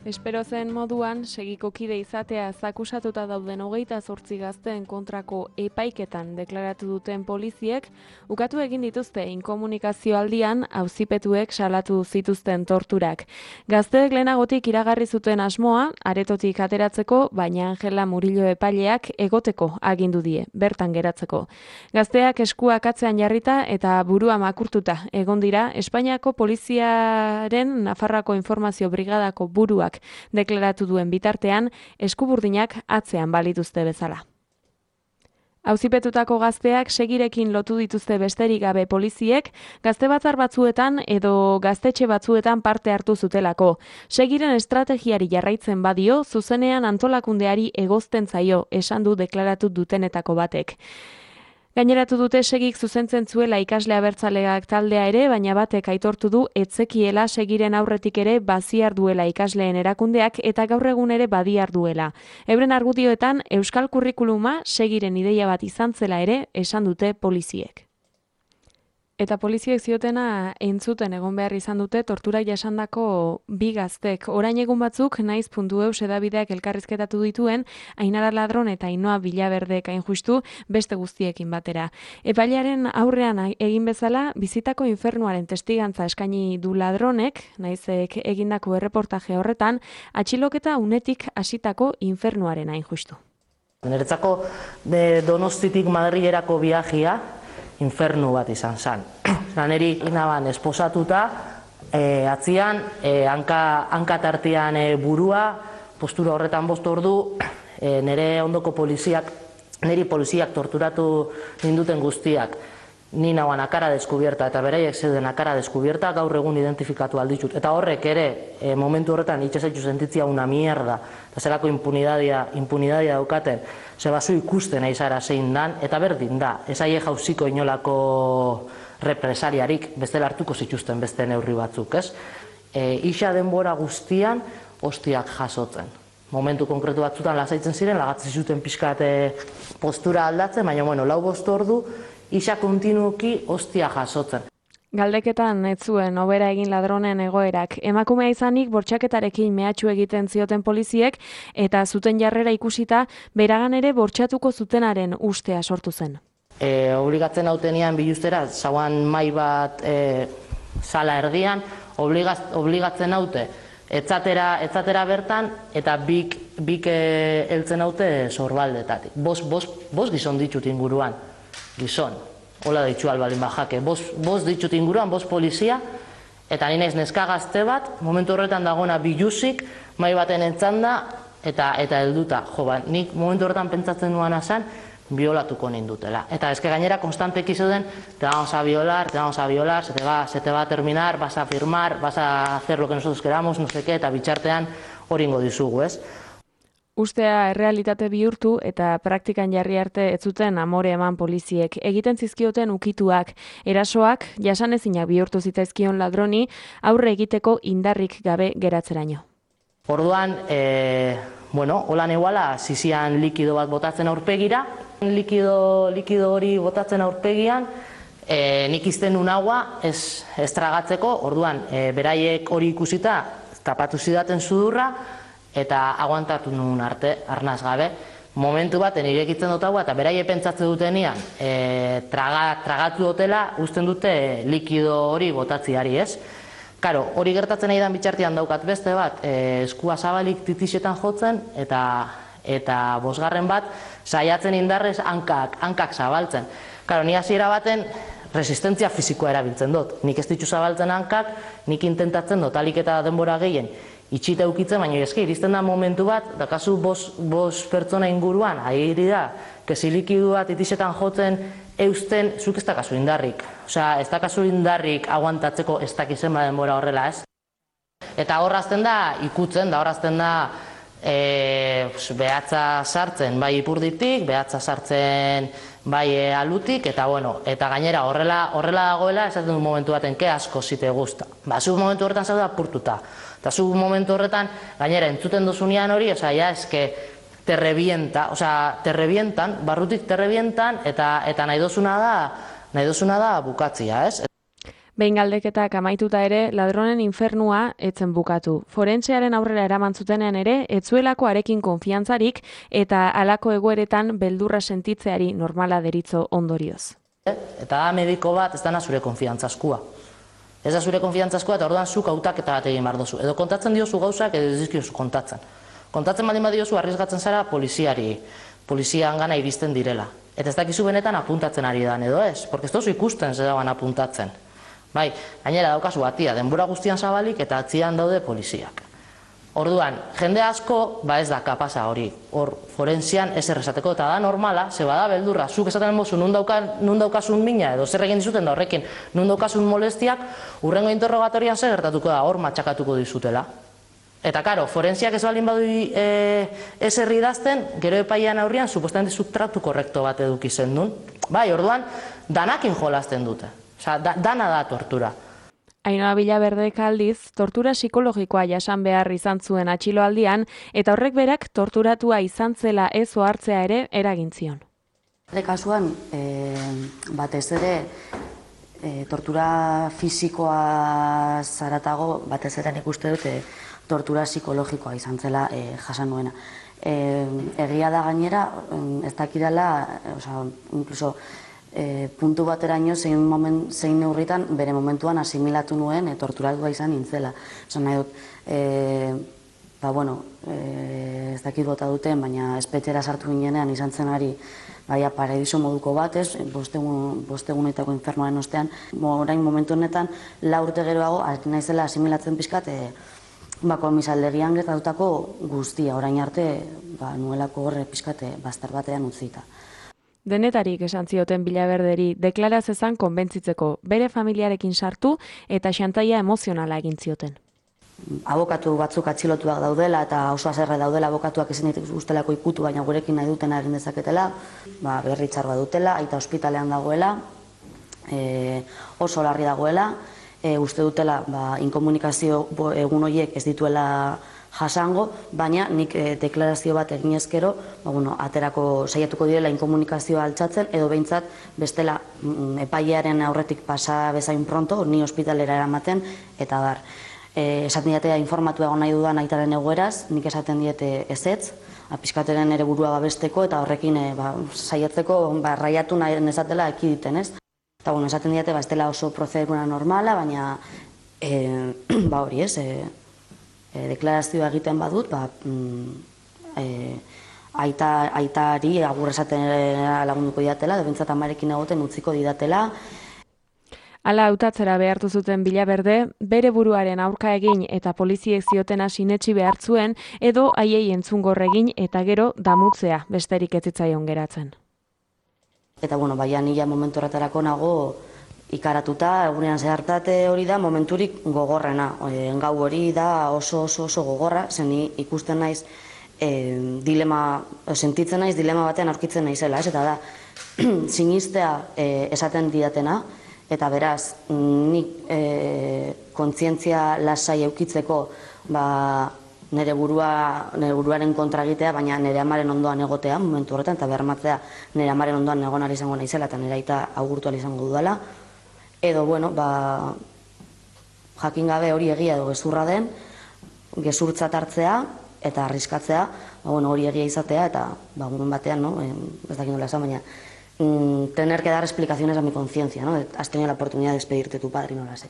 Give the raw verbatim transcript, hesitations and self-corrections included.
Espero zen moduan, segiko kide izatea akusatuta dauden hogeita zortzi gazteen kontrako epaiketan deklaratu duten poliziek, ukatu egin dituzte inkomunikazio aldian auzipetuek salatu zituzten torturak. Gazteek lehenagotik iragarri zuten asmoa, aretotik ateratzeko, baina Angela Murillo epaileak egoteko agindu die, bertan geratzeko. Gazteak eskuak atzean jarrita eta burua makurtuta egon dira Espainiako poliziaren Nafarroako informazio brigadako buruak deklaratu duen bitartean, eskuburdinak atzean balituzte bezala. Auzipetutako gazteak segirekin lotu dituzte besterik gabe poliziek, gazte batzar batzuetan edo gaztetxe batzuetan parte hartu zutelako. Segiren estrategiari jarraitzen badio, zuzenean antolakundeari egozten zaio, esan du deklaratu dutenetako batek. Gaineratu dute segik zuzentzen zuela ikasle abertzaleak taldea ere, baina batek aitortu du etzekiela segiren aurretik ere baziar duela ikasleen erakundeak eta gaur egun ere badiar duela. Euren argudioetan euskal kurrikuluma segiren ideia bat izan zela ere esan dute poliziek. Eta poliziek ziotena entzuten egon behar izan dute torturak jasandako bi gaztek. Orain egun batzuk naiz puntu eus edabideak elkarrizketatu dituen Ainara Ladron eta Ainhoa Villaverdek hain justu beste guztiekin batera. Epailearen aurrean egin bezala bizitako infernuaren testigantza eskaini du Ladronek, naizek egindako erreportaje horretan, atxiloketa unetik hasitako infernuaren hain justu. Niretzako Donostitik Madrilerako viajea infernu bat izan zen. Neri inaban esposatuta, e, atzian, e, hanka, hanka tartean e, burua, postura horretan bost ordu, e, nire ondoko poliziak, niri poliziak torturatu ninduten guztiak, ni nauan akara deskubierta eta beraiek zeuden akara deskubierta gaur egun identifikatu alditut. Eta horrek ere, e, momentu horretan itxasaitu sentitzia una mierda, eta zelako impunidadia, impunidadia daukaten, zebazu ikusten aizara zein dan, eta berdin da, ez aie jauziko inolako represaliarik, bestela hartuko zituzten beste neurri batzuk, ez? E, isa denbora guztian, hostiak jasotzen. Momentu konkretu batzutan lasaitzen ziren, lagatzen zuten pixkat postura aldatzen, baina bueno, lau bost ordu, isa kontinuoki hostia jasotzen. Galdeketan ez zuen hobera egin Ladronen egoerak. Emakumea izanik bortxaketarekin mehatxu egiten zioten poliziek eta zuten jarrera ikusita beragan ere bortxatuko zutenaren ustea sortu zen. E, obligatzen hautenian biluztera, zauan mai bat e, sala erdian, obligaz, obligatzen haute etzatera, etzatera bertan eta bik, bik e, eltzen haute sorbaldetatik. Bos, bos, bos gizon ditut inguruan, gizon. Hola ditxu albalin bajake, bost ditut inguruan, bost polizia, eta ninez neska gazte bat, momentu horretan dagoena biluzik, mai baten entzanda, eta eta helduta. Jo, ba, nik momentu horretan pentsatzen duana zen, biolatuko nindutela. Eta eske gainera konstanteki zeuden, te vamos a violar, te vamos a violar, se te va, se te va a terminar, vas a firmar, vas a hacer lo que nosotros queramos, no sé qué, eta bitxartean horingo dizugu, ez? Ustea errealitate bihurtu eta praktikan jarri arte ez zuten amore eman poliziek. Egiten zizkioten ukituak, erasoak, jasanezinak bihurtu zitzaizkion Ladroni, aurre egiteko indarrik gabe geratzeraino. Orduan, e, bueno, holan eguala, zizian likido bat botatzen aurpegira, likido, likido hori botatzen aurpegian, e, nik izten nun agua ez, ez tragatzeko, orduan, e, beraiek hori ikusita, tapatu zidaten sudurra, eta aguantatu nuen arte, arnaz gabe. Momentu baten irekitzen dut agua, eta beraie pentsatzen dutenian, e, traga, tragatu dutela, usten dute likido hori botatziari, ez? Karo, hori gertatzen nahi dan bitxartian daukat beste bat, e, eskua zabalik titixetan jotzen, eta, eta bosgarren bat, saiatzen indarrez hankak, hankak zabaltzen. Karo, ni hasiera baten, resistentzia fizikoa erabiltzen dut. Nik ez ditzu zabaltzen hankak, nik intentatzen dut, alik eta denbora gehien, itxita eukitzen, baina eske, iristen da momentu bat, dakazu bos, bos pertsona inguruan, ahiri da, kesi likidu bat itixetan jotzen eusten, zuk ez dakazu indarrik. Osea, ez dakazu indarrik aguantatzeko ez dakizen denbora horrela, ez? Eta horrazten da, ikutzen, da horrazten da, e, behatza sartzen, bai ipurditik, behatza sartzen bai e, alutik, eta bueno, eta gainera horrela, horrela dagoela, esaten du momentu baten, ke asko zite gusta. Ba, zu momentu horretan zaude apurtuta. Eta zu momentu horretan, gainera, entzuten duzunean hori, osea, ja, eske, te revienta, osea, te revientan, barrutik te revientan, eta, eta nahi dozuna da, nahi dozuna da bukatzia, ez? Behin galdeketak amaituta ere, ladronen infernua etzen bukatu. Forentsearen aurrera eraman zutenean ere, etzuelako arekin konfiantzarik eta halako egoeretan beldurra sentitzeari normala deritzo ondorioz. Eta da mediko bat ez dana zure konfiantzaskua. Ez da zure konfiantzaskua eta orduan zuk hautaketa bat egin behar duzu. Edo kontatzen diozu gauzak edo ez dizkiozu kontatzen. Kontatzen baldin badiozu arrisgatzen zara poliziari, polizian gana iristen direla. Eta ez dakizu benetan apuntatzen ari dan edo ez, porque ez dozu ikusten ze dagoen apuntatzen. Bai, gainera daukazu batia, denbora guztian zabalik eta atzian daude poliziak. Orduan, jende asko, ba ez da kapasa hori, hor forensian ez errezateko, eta da normala, ze bada beldurra, zuk esaten bozu nun daukasun mina, edo zer egin dizuten da horrekin, nun daukasun molestiak, urrengo interrogatorian zer gertatuko da, hor matxakatuko dizutela. Eta karo, forensiak ez baldin badu ez herri idazten, gero epaian aurrian, supuestamente subtraktu korrekto bat eduki zen duen. Bai, orduan, danakin jolazten dute. Osa, da, dana da tortura. Ainhoa Villaverdek aldiz, tortura psikologikoa jasan behar izan zuen atxiloaldian, eta horrek berak torturatua izan zela ez ohartzea ere eragin zion. Bere kasuan, e, batez ere, e, tortura fisikoa zaratago, batez ere nik uste dute, tortura psikologikoa izan zela e, jasan nuena. E, egia da gainera, ez dakidala, oza, inkluso, E, puntu bateraino zein, moment, zein neurritan bere momentuan asimilatu nuen e, torturatua izan nintzela. Esan nahi dut, e, ba, bueno, e, ez dakit bota duten, baina espetxera sartu ginenean izan zen ari baia paradiso moduko bat, ez, bostegun, bostegunetako infernoaren ostean, orain momentu honetan, la urte geroago, naizela asimilatzen pixkat, e, ba, komisaldegian gertatutako guztia, orain arte, ba, nuelako horre pixkat bastar batean utzita. Denetarik esan zioten Villaverderi deklaraz ezan konbentzitzeko bere familiarekin sartu eta xantaia emozionala egin zioten. Abokatu batzuk atxilotuak daudela eta oso haserre daudela abokatuak ezin ustelako ikutu, baina gurekin nahi dutena egin dezaketela, ba, berri txar bat dutela, aita ospitalean dagoela, e, oso larri dagoela, e, uste dutela ba, inkomunikazio egun horiek ez dituela jasango, baina nik e, deklarazio bat egin ezkero, ba, bueno, aterako saiatuko direla inkomunikazioa altxatzen, edo behintzat bestela mm, epailearen aurretik pasa bezain pronto, ni ospitalera eramaten, eta bar. E, esaten diatea informatu egon nahi dudan aitaren egoeraz, nik esaten diete ezetz, apiskateren ere burua babesteko, eta horrekin e, ba, saiatzeko ba, raiatu nahi nezatela ekiditen, ez? Eta bueno, esaten diate, ba, ez dela oso prozedura normala, baina e, ba hori ez, e, E, deklarazioa egiten badut, ba, mm, e, aita, aitari agur esaten lagunduko didatela, edo bintzat amarekin egoten utziko didatela. Hala hautatzera behartu zuten Villaverde, bere buruaren aurka egin eta poliziek ziotena sinetsi behar zuen, edo haiei entzungor egin eta gero damutzea besterik ez zitzaion geratzen. Eta bueno, baina nila momentu horretarako nago, ikaratuta, egunean zehartate hori da momenturik gogorrena. E, gau hori da oso oso oso gogorra, zen ikusten naiz, e, dilema, sentitzen naiz dilema batean aurkitzen naizela, ez? Eta da, sinistea e, esaten didatena, eta beraz, nik e, kontzientzia lasai eukitzeko, ba, nire burua, nire buruaren kontra egitea, baina nire amaren ondoan egotea, momentu horretan, eta bermatzea nire amaren ondoan egon ari izango naizela, eta nire aita agurtu ali izango dudala. Edo, bueno, ba, jakin gabe hori egia edo gezurra den, gezurtzat hartzea eta arriskatzea, ba, bueno, hori egia izatea, eta ba, un batean, no? Ez dakit nola esan, baina, mm, tener que dar explicaciones a mi conciencia, ¿no? Has tenido la oportunidad de despedirte de tu padre y no lo has hecho.